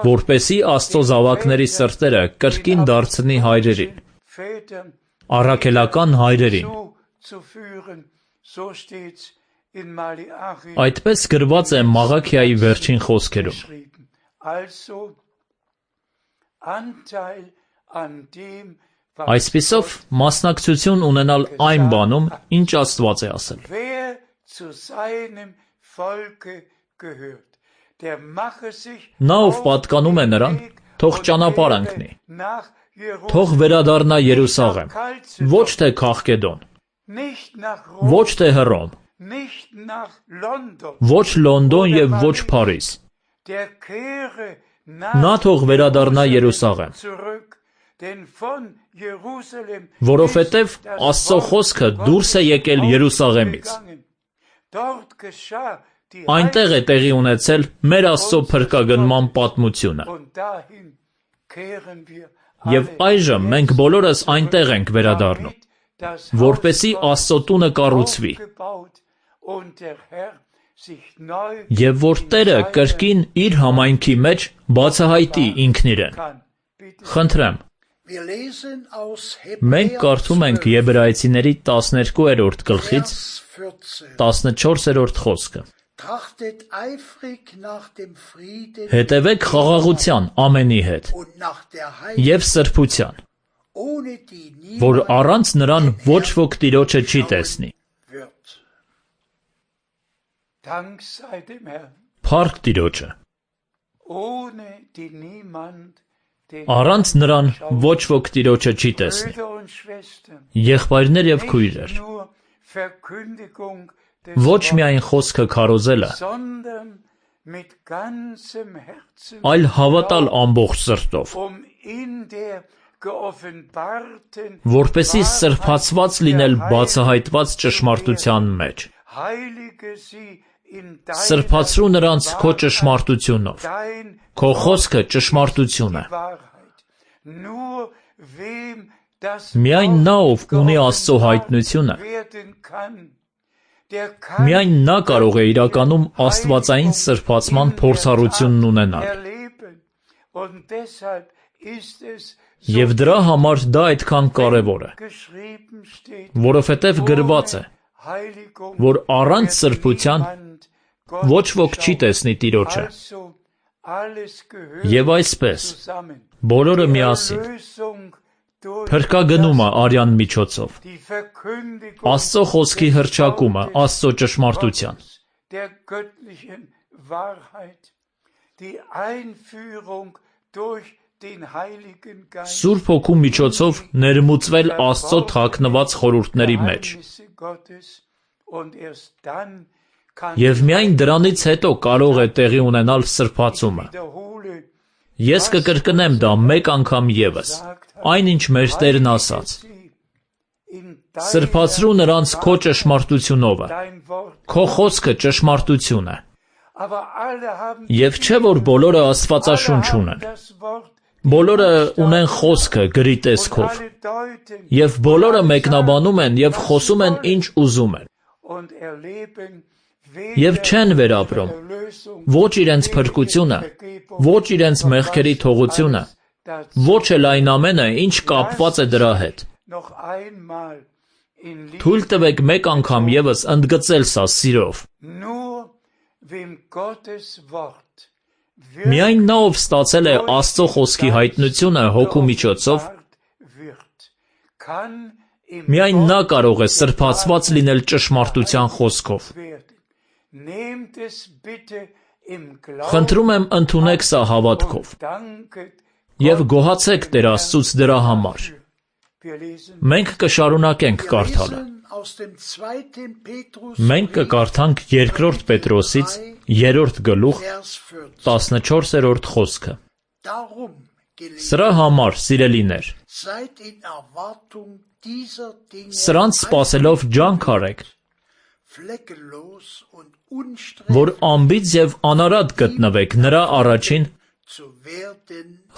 որպեսզի Աստծո զավակների սրտերը կրկին դարձնի հայրերին, առաքելական հայրերին։ Այդպես գրված է Մաղաքիայի վերջին խոսքերում։ Այսպիսով, մասնակցություն ունենալ այն բանում, ինչ Աստված է ասել։ Նա, ով պատկանում է նրան, թող ճանապարհ ընկնի, թող վերադառնա Երուսաղեմ, ոչ թե Քաղկեդոն, ոչ թե Հռոմ, ոչ Լոնդոն և ոչ Փարիզ։ Նա թող վերադառնա Երուսաղեմ, որովհետև Աստծո խոսքը դուրս է եկել Երուսաղեմից։ Այնտեղ է տեղի ունեցել մեր Աստծո փրկագնման պատմությունը։ Եվ այժմ մենք բոլորս այնտեղ ենք վերադառնում, որպեսզի Աստծո տունը կառուցվի, և որ Տերը կրկին իր համայնքի մեջ բացահայտի ինքն իրեն։ Խնդրեմ, մենք կարդում ենք Եբրայեցիների տասներկուերորդ գլխից տասնչորսերորդ խոսքը։ Հետևեք խաղաղության ամենի հետ և սրբության, որ առանց նրան ոչ ոք Տիրոջը չի տեսնի։ Փառք Տիրոջը։ Առանց նրան ոչ ոք Տիրոջը չի տեսնի։ Եղբայրներ եւ քույրեր, ոչ միայն խոսքը քարոզելը, այլ հավատալ ամբողջ սրտով, որպեսզի սրբացված լինել բացահայտված ճշմարտության մեջ։ Սրբացրու նրանց քո ճշմարտությունով, քո խոսքը ճշմարտություն է։ Միայն նա, ով ունի Աստծո հայտնությունը, միայն նա կարող է իրականում աստվածային սրբացման փորձառությունն ունենալ։ Եվ դրա համար դա այդքան կարևոր է, որովհետև գրված է, որ առանց սրբության ոչ ոք չի տեսնի Տիրոջը։ Եվ այսպես, բոլորը միասին, փրկագնումը արյան միջոցով, Աստծո խոսքի հռչակումը Աստծո ճշմարտության, Սուրբ Հոգու միջոցով ներմուծվել Աստծո թաքնված խորհուրդների մեջ։ Եվ միայն դրանից հետո կարող է տեղի ունենալ սրբացումը։ Ես կկրկնեմ դա մեկ անգամ ևս, այնինչ մեր Տերն ասաց. Սրբացրու նրանց քո ճշմարտությունովը, քո խոսքը ճշմարտություն է։ Եվ չէ՞ որ բոլորը Աստվածաշունչ ունեն, բոլորը ունեն խոսքը գրի տեսքով, եւ բոլորը մեկնաբանում են եւ խոսում են ինչ ուզում են, եւ չեն վերապրում ոչ իրենց փրկությունը, ոչ իրենց մեղքերի թողությունը, ոչ էլ այն ամենը, ինչ կապված է դրա հետ։ Թույլ տվեք մեկ անգամ ևս ընդգծել սա սիրով։ Միայն նա, ով ստացել է Աստծո խոսքի հայտնությունը Հոգու միջոցով, միայն նա կարող է սրբացված լինել ճշմարտության խոսքով։ Խնդրում եմ ընդունեք սա հավատքով եւ գոհացեք Տեր Աստծուց դրա համար։ Մենք կշարունակենք կարդալը։ Մենք կկարդանք երկրորդ Պետրոսից երրորդ գլուխ տասնչորսերորդ խոսքը։ Սրա համար, սիրելիներ, սրանց սպասելով ջանք արեք, որ անբիծ եւ անարատ գտնվեք նրա առաջին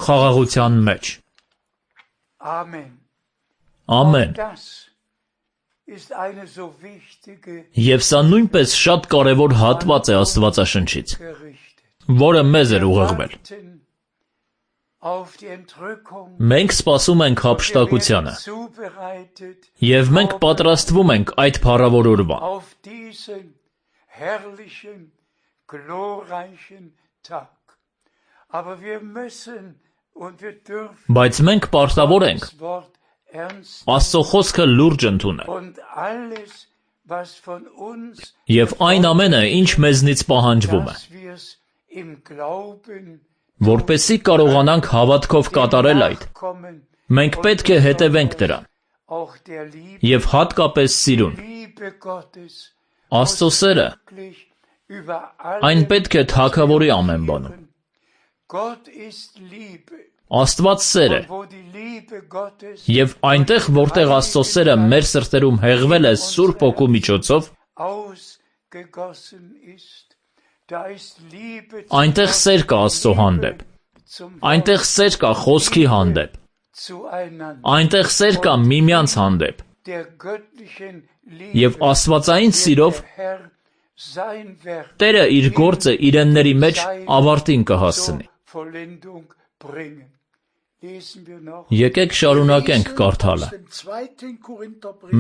խաղաղության մեջ։ Ամեն։ Եվ սա նույնպես շատ կարևոր հատված է Աստվածաշնչից, որը մեզ էր ուղղվել։ Մենք սպասում ենք հափշտակությանը, եւ մենք պատրաստվում ենք այդ փառավոր օրվան։ Բայց մենք պարտավոր ենք Աստծո խոսքը լուրջ ընդունել, եւ այն ամենը, ինչ մեզնից պահանջվում է, որպեսզի կարողանանք հավատքով կատարել այդ, մենք պետք է հետևենք դրան, եւ հատկապես սիրուն։ Աստծո սերը, այն պետք է թագավորի ամեն բանում։ Աստված սեր է, եւ այնտեղ, որտեղ Աստծո սերը մեր սրտերում հեղվել է Սուրբ Հոգու միջոցով, այնտեղ սեր կա Աստծո հանդեպ, այնտեղ սեր կա խոսքի հանդեպ, այնտեղ սեր կա միմյանց հանդեպ, եւ աստվածային սիրով Տերը իր գործը իրենների մեջ ավարտին կհասցնի։ Եկեք շարունակենք կարդալը։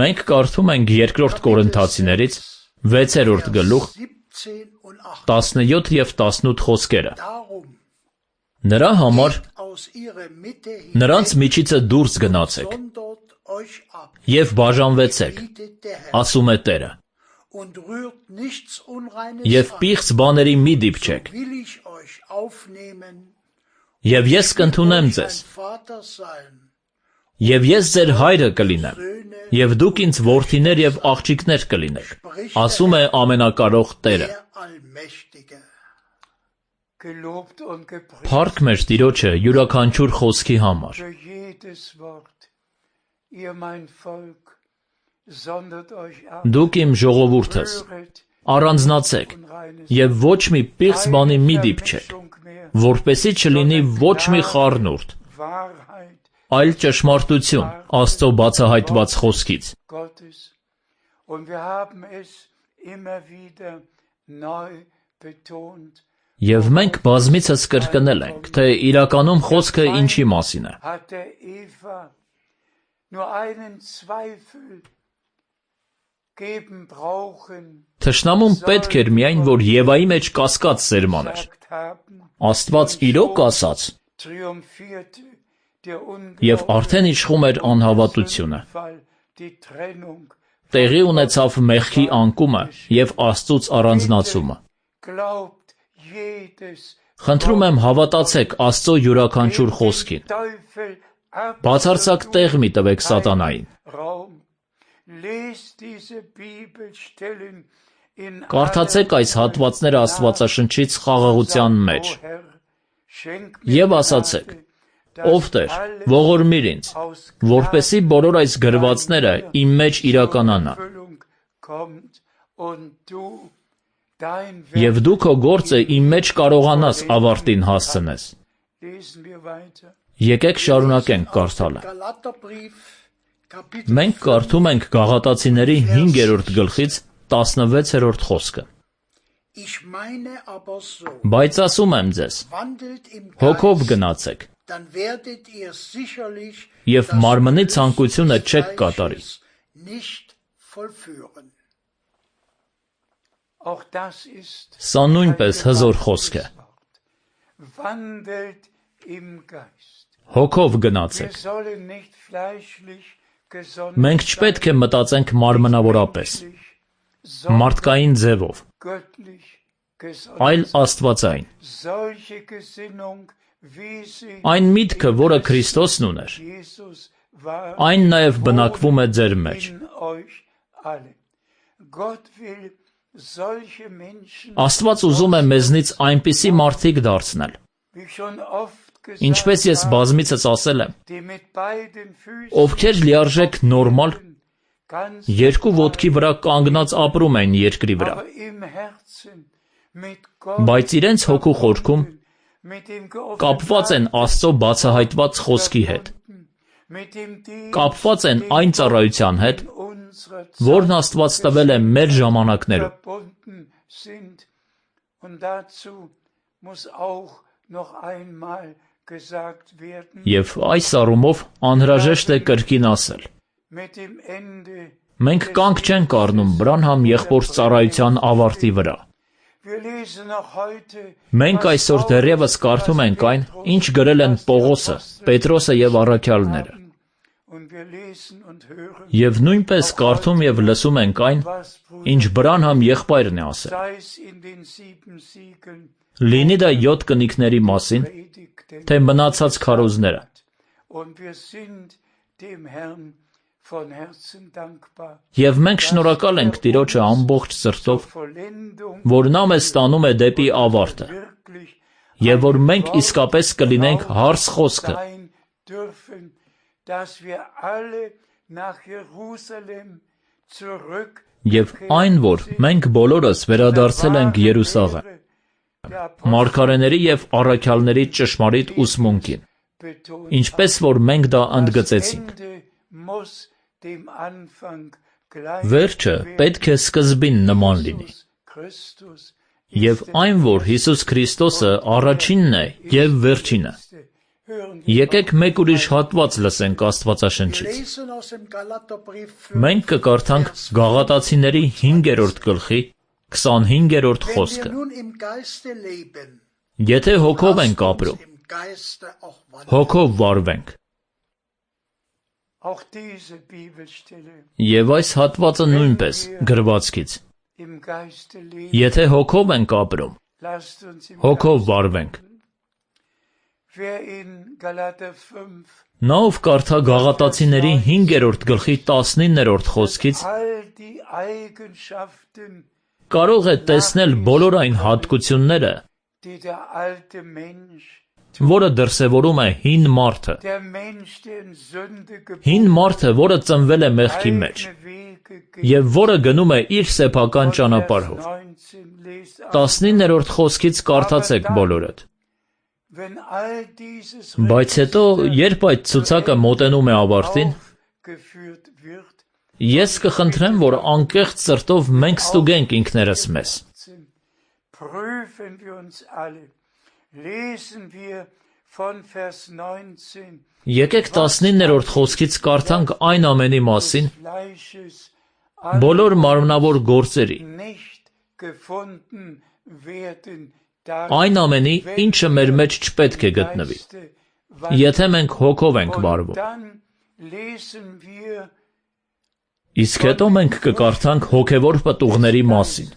Մենք կարդում ենք երկրորդ Կորինթացիներից վեցերորդ գլուխ տասնյոթ եւ տասնութ խոսքերը։ Նրա համար նրանց միջիցը դուրս գնացեք եւ բաժանվեցեք, ասում է Տերը, եւ պիղծ բաների մի դիպչեք, Եվ ես կընդունեմ ձեզ, և ես ձեր հայրը կլինեմ, և դուք ինձ որդիներ և աղջիկներ կլինեք, ասում է ամենակարող Տերը։ Փառք մեր Տիրոջը յուրաքանչյուր խոսքի համար։ Դուք իմ ժողովուրդս, առանձնացեք, և ոչ մի պիղծ բանի մի դիպչեք, որպեսզի չլինի ոչ մի խառնուրդ, այլ ճշմարտություն Աստծո բացահայտված խոսքից։ Եվ մենք բազմիցս կրկնել ենք, թե իրականում խոսքը ինչի մասին է։ Թշնամուն պետք էր միայն, որ Եվայի մեջ կասկած սերմաներ։ Աստված իրոք ասաց, և արդեն իշխում էր անհավատությունը։ Տեղի ունեցավ մեղքի անկումը և Աստծուց առանձնացումը։ Խնդրում եմ հավատացեք Աստծո յուրաքանչյուր խոսքին։ Բացարձակ տեղ մի տվեք սատանային։ Կարդացեք այս հատվածները Աստվածաշնչից խաղաղության մեջ և ասացեք. «Ով Տեր, ողորմիր ինձ, որպեսզի բոլոր այս գրվածները իմ մեջ իրականանան։ Եվ դու քո գործը իմ մեջ կարողանաս ավարտին հասցնես»։ Եկեք շարունակենք կարդալը։ Մենք կարդում ենք Գաղատացիների հինգերորդ գլխից տասնվեցերորդ խոսքը։ Բայց ասում եմ ձեզ, հոգով գնացեք, և մարմնի ցանկությունը չեք կատարի։ Սա նույնպես հզոր խոսք է։ Հոգով գնացեք։ Մենք չպետք է մտածենք մարմնավորապես, մարդկային ձևով, այլ աստվածային։ Այն միտքը, որը Քրիստոսն ուներ, այն նաև բնակվում է ձեր մեջ։ Աստված ուզում է մեզնից այնպիսի մարդիկ դարձնել, ինչպես ես բազմիցս ասել եմ, ովքեր լիարժեք նորմալ, երկու ոտքի վրա կանգնած ապրում են երկրի վրա, բայց իրենց հոգու խորքում կապված են Աստծո բացահայտված խոսքի հետ, կապված են այն ծառայության հետ, որն Աստված տվել է մեր ժամանակներում։ Եվ այս առումով անհրաժեշտ է կրկին ասել. մենք կանգ չենք առնում Բրանհամ եղբոր ծառայության ավարտի վրա։ Մենք այսօր դեռևս կարդում ենք այն, ինչ գրել են Պողոսը, Պետրոսը և առաքյալները։ Եվ նույնպես կարդում և լսում ենք այն, ինչ Բրանհամ եղբայրն է ասել։ Լինի դա յոթ կնիկների մասին, թե մնացած քարոզները։ Եվ մենք շնորհակալ ենք Տիրոջը ամբողջ սրտով, որ նա մեզ տանում է դեպի ավարտը, և որ մենք իսկապես կլինենք հարս խոսքը, և այն, որ մենք բոլորս վերադարձել ենք Երուսաղեմ, մարգարեների և առաքյալների ճշմարիտ ուսմունքին, ինչպես որ մենք դա ընդգծեցինք։ Վերջը պետք է սկզբին նման լինի։ Եվ այն, որ Հիսուս Քրիստոսը առաջինն է և վերջինը։ Եկեք մեկ ուրիշ հատված լսենք Աստվածաշնչից։ Մենք կկարդանք Գաղատացիների հինգերորդ գլխի քսանհինգերորդ խոսքը։ Եթե հոգով ենք ապրում, հոգով վարվենք։ Եվ այս հատվածը նույնպես գրվածքից։ Եթե հոգով ենք ապրում, հոգով վարվենք։ Նա ով կարդա Գաղատացիների հինգերորդ գլխի տասնիններորդ խոսքից կարող է տեսնել բոլոր այն հատկությունները, որը դրսևորում է հին մարդը, հին մարդը, որը ծնվել է մեղքի մեջ և որը գնում է իր սեփական ճանապարհով։ տասնիններորդ խոսքից կարդացեք բոլորդ։ Բայց հետո, երբ այդ ցուցակը մոտենում է ավարտին, ես կխնդրեմ, որ անկեղծ սրտով մենք ստուգենք ինքներս մեզ։ Եկեք տասնիններորդ խոսքից կարդանք այն ամենի մասին, բոլոր մարմնավոր գործերի, այն ամենի, ինչը մեր մեջ չպետք է գտնվի, եթե մենք հոգով ենք վարվում։ Իսկ հետո մենք կկարդանք հոգևոր պտուղների մասին,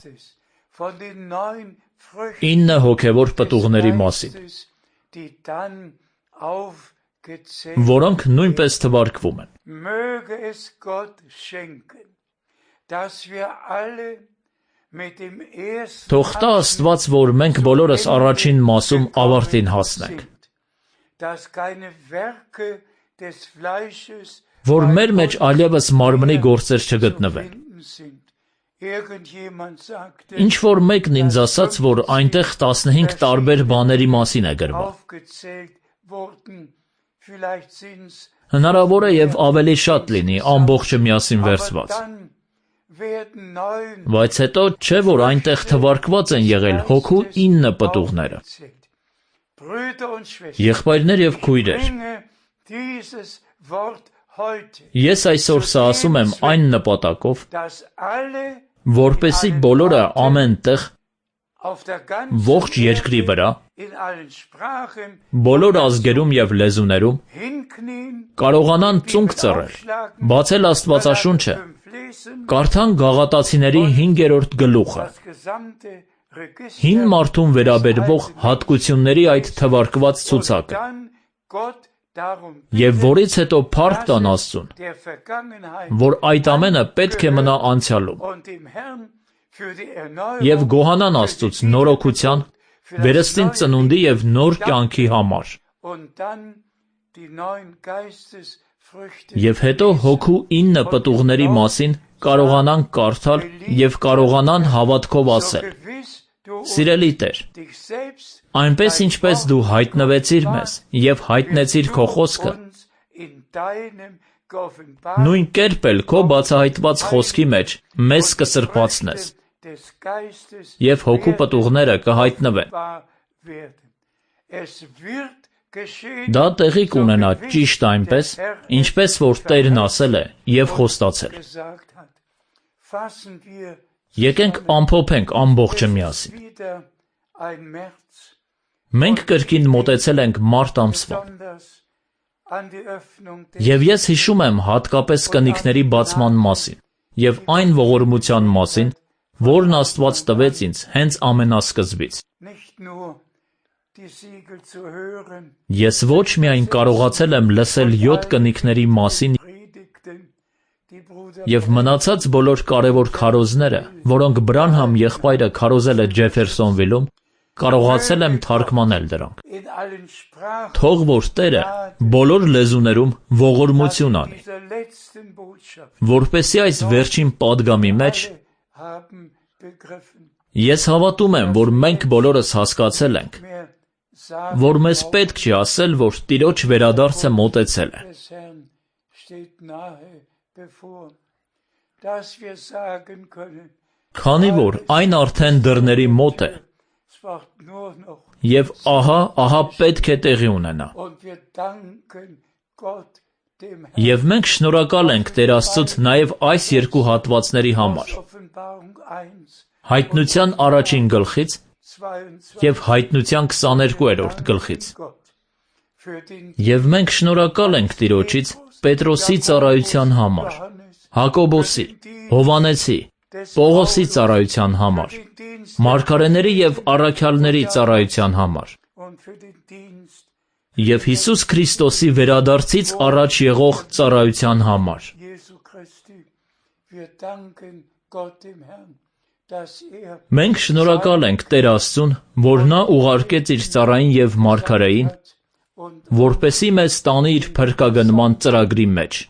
ինը հոգևոր պտուղների մասին, որոնք նույնպես թվարկվում են։ Թող տա Աստված, որ մենք բոլորս առաջին մասում ավարտին հասնենք, որ մեր մեջ այլևս մարմնի գործեր չգտնվեն։ Ինչ-որ մեկն ինձ ասաց, որ այնտեղ տասնհինգ տարբեր բաների մասին է գրված։ Հնարավոր է և ավելի շատ լինի, ամբողջը միասին վերցված։ Բայց հետո չէ, որ այնտեղ թվարկված են եղել հոգու ինը պտուղները։ Եղբայրներ և քույրեր, ես այսօր սա ասում եմ այն նպատակով, որպեսզի բոլորը ամեն տեղ, ողջ երկրի վրա, բոլոր ազգերում և լեզուներում կարողանան ծունկ ծռել, բացել Աստվածաշունչը, կարդան Գաղատացիների հինգերորդ գլուխը, հին մարդուն վերաբերվող հատկությունների այդ թվարկված ցուցակը, և որից հետո փառք տան Աստծուն, որ այդ ամենը պետք է մնա անցյալում, և գոհանան Աստծուց նորոգության, վերստին ծնունդի և նոր կյանքի համար։ Եվ հետո հոգու ինը պտուղների մասին կարողանան կարդալ և կարողանան հավատքով ասել. Սիրելի Տեր, այնպես ինչպես դու հայտնվեցիր մեզ և հայտնեցիր քո խոսքը, նույն կերպ էլ քո բացահայտված խոսքի մեջ մեզ կսրբացնես, և հոգու պտուղները կհայտնվեն։ Դա տեղի կունենա ճիշտ այնպես, ինչպես որ Տերն ասել է և խոստացել։ Եկենք ամփոփենք ամբողջը միասին։ Մենք կրկին մոտեցել ենք մարտ ամսվան, և ես հիշում եմ հատկապես կնիկների բացման մասին և այն ողորմության մասին, որն Աստված տվեց ինձ հենց ամենասկզբից։ Ես ոչ միայն կարողացել եմ լսել յոթ կնիկների մասին և մնացած բոլոր կարևոր քարոզները, որոնք Բրանհամ եղբայրը քարոզել է Ջեֆերսոնվիլում, կարողացել եմ թարգմանել դրանք։ Թող որ Տերը բոլոր լեզուներում ողորմություն անի, որպեսզի այս վերջին պատգամի մեջ ես հավատում եմ, որ մենք բոլորս հասկացել ենք, որ մեզ պետք չի ասել, որ Տիրոջ վերադարձը մոտեցել է։ Քանի որ այն արդեն դռների մոտ է, և ահա, ահա պետք է տեղի ունենա։ Եվ մենք շնորհակալ ենք Տեր Աստծուց նաև այս երկու հատվածների համար. Հայտնության առաջին գլխից և Հայտնության քսաներկուերորդ գլխից։ Եվ մենք շնորհակալ ենք Տիրոջից Պետրոսի ծառայության համար, Հակոբոսի, Հովհաննեսի, Պողոսի ծառայության համար, մարգարեների և առաքյալների ծառայության համար, Եվ Հիսուս Քրիստոսի վերադարձից առաջ եղող ծառայության համար։ Մենք շնորհակալ ենք Տեր Աստծուն, որ նա ուղարկեց իր ծառային եւ մարգարեին, որպեսզի մեզ տանի իր փրկագնման ծրագրի մեջ։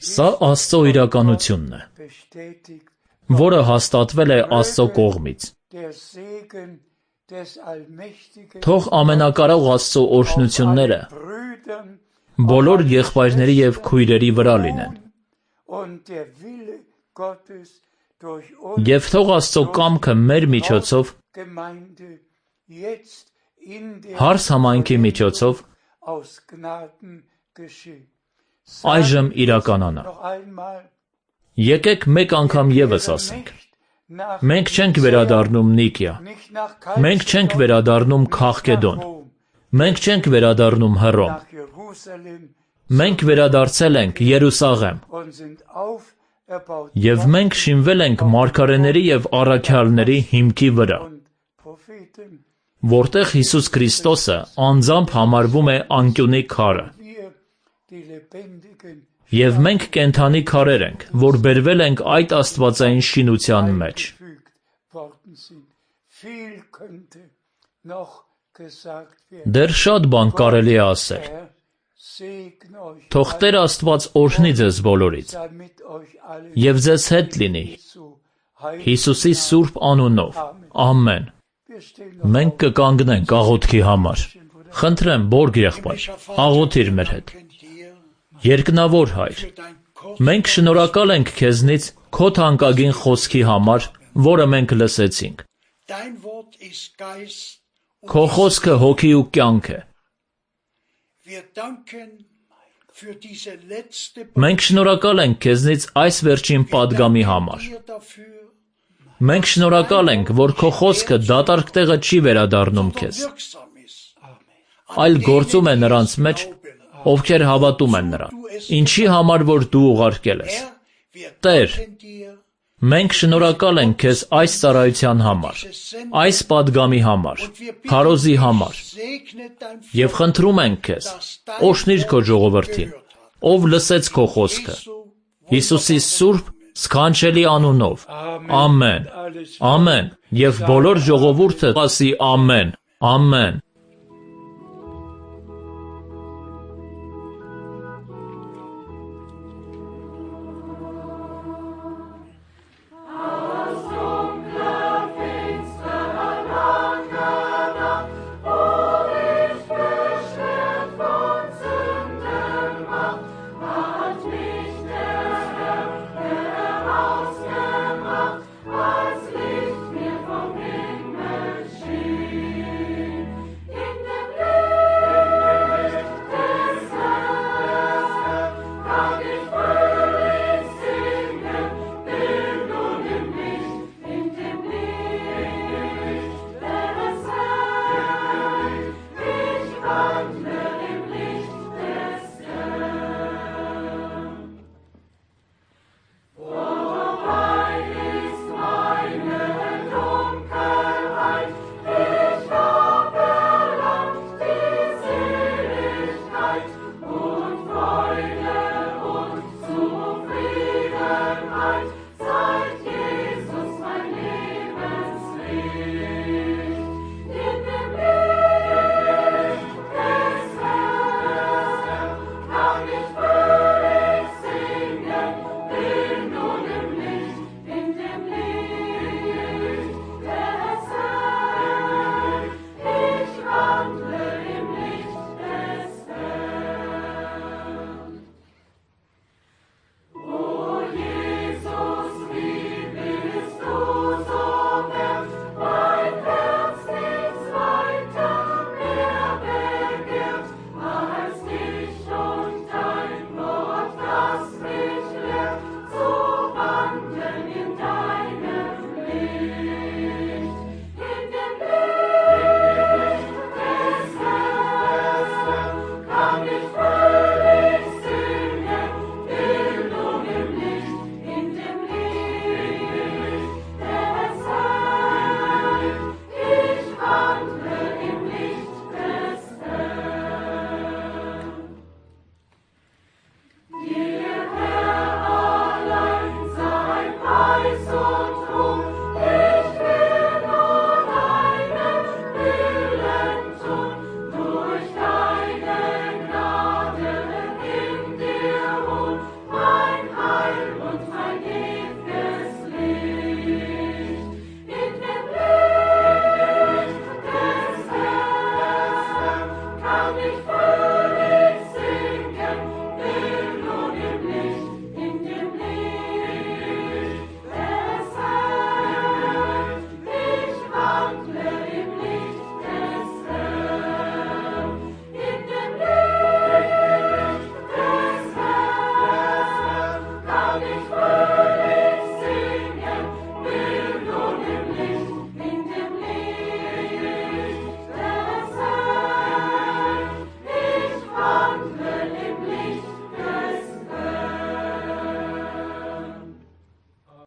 Սա Աստծո իրականությունն է, որը հաստատվել է Աստծո կողմից։ Թող ամենակարող Աստծո օրհնությունները բոլոր եղբայրների եւ քույրերի վրա լինեն։ Եվ թող Աստծո կամքը մեր միջոցով, հարս համայնքի միջոցով, այժմ իրականանա։ Եկեք մեկ անգամ եւս ասենք. մենք չենք վերադառնում Նիկիա, մենք չենք վերադառնում Քաղկեդոն, մենք չենք վերադառնում Հռոմ, մենք վերադարձել ենք Երուսաղեմ, եւ մենք շինվել ենք մարգարեների եւ առաքյալների հիմքի վրա, որտեղ Հիսուս Քրիստոսը անձամբ համարվում է անկյունի քարը։ Եվ մենք կենդանի քարեր ենք, որ բերվել ենք այդ աստվածային շինության մեջ։ Դեռ շատ բան կարելի է ասել։ Թող Տեր Աստված օրհնի ձեզ բոլորից եւ ձեզ հետ լինի Հիսուսի սուրբ անունով։ Ամեն։ Մենք կկանգնենք աղոթքի համար։ Խնդրեմ, Բորգ եղբայր, աղոթիր մեր հետ։ Երկնավոր Հայր, մենք շնորհակալ ենք քեզնից քո թանկագին խոսքի համար, որը մենք լսեցինք։ Քո խոսքը հոգի ու կյանք է։ Մենք շնորհակալ ենք քեզնից այս վերջին պատգամի համար։ Մենք շնորհակալ ենք, որ քո խոսքը դատարկ տեղը չի վերադառնում քեզ, այլ գործում է նրանց մեջ, ովքեր հավատում են նրան, ինչի համար որ դու ուղարկել ես։ Տեր, մենք շնորհակալ ենք քեզ այս ծառայության համար, այս պատգամի համար, քարոզի համար, եւ խնդրում ենք քեզ, օրհնիր քո ժողովրդին, ով լսեց քո խոսքը, Հիսուսի սուրբ սքանչելի անունով։ Ամեն։ Ամեն։ Եվ բոլոր ժողովուրդը ասի ամեն։ Ամեն։ Hey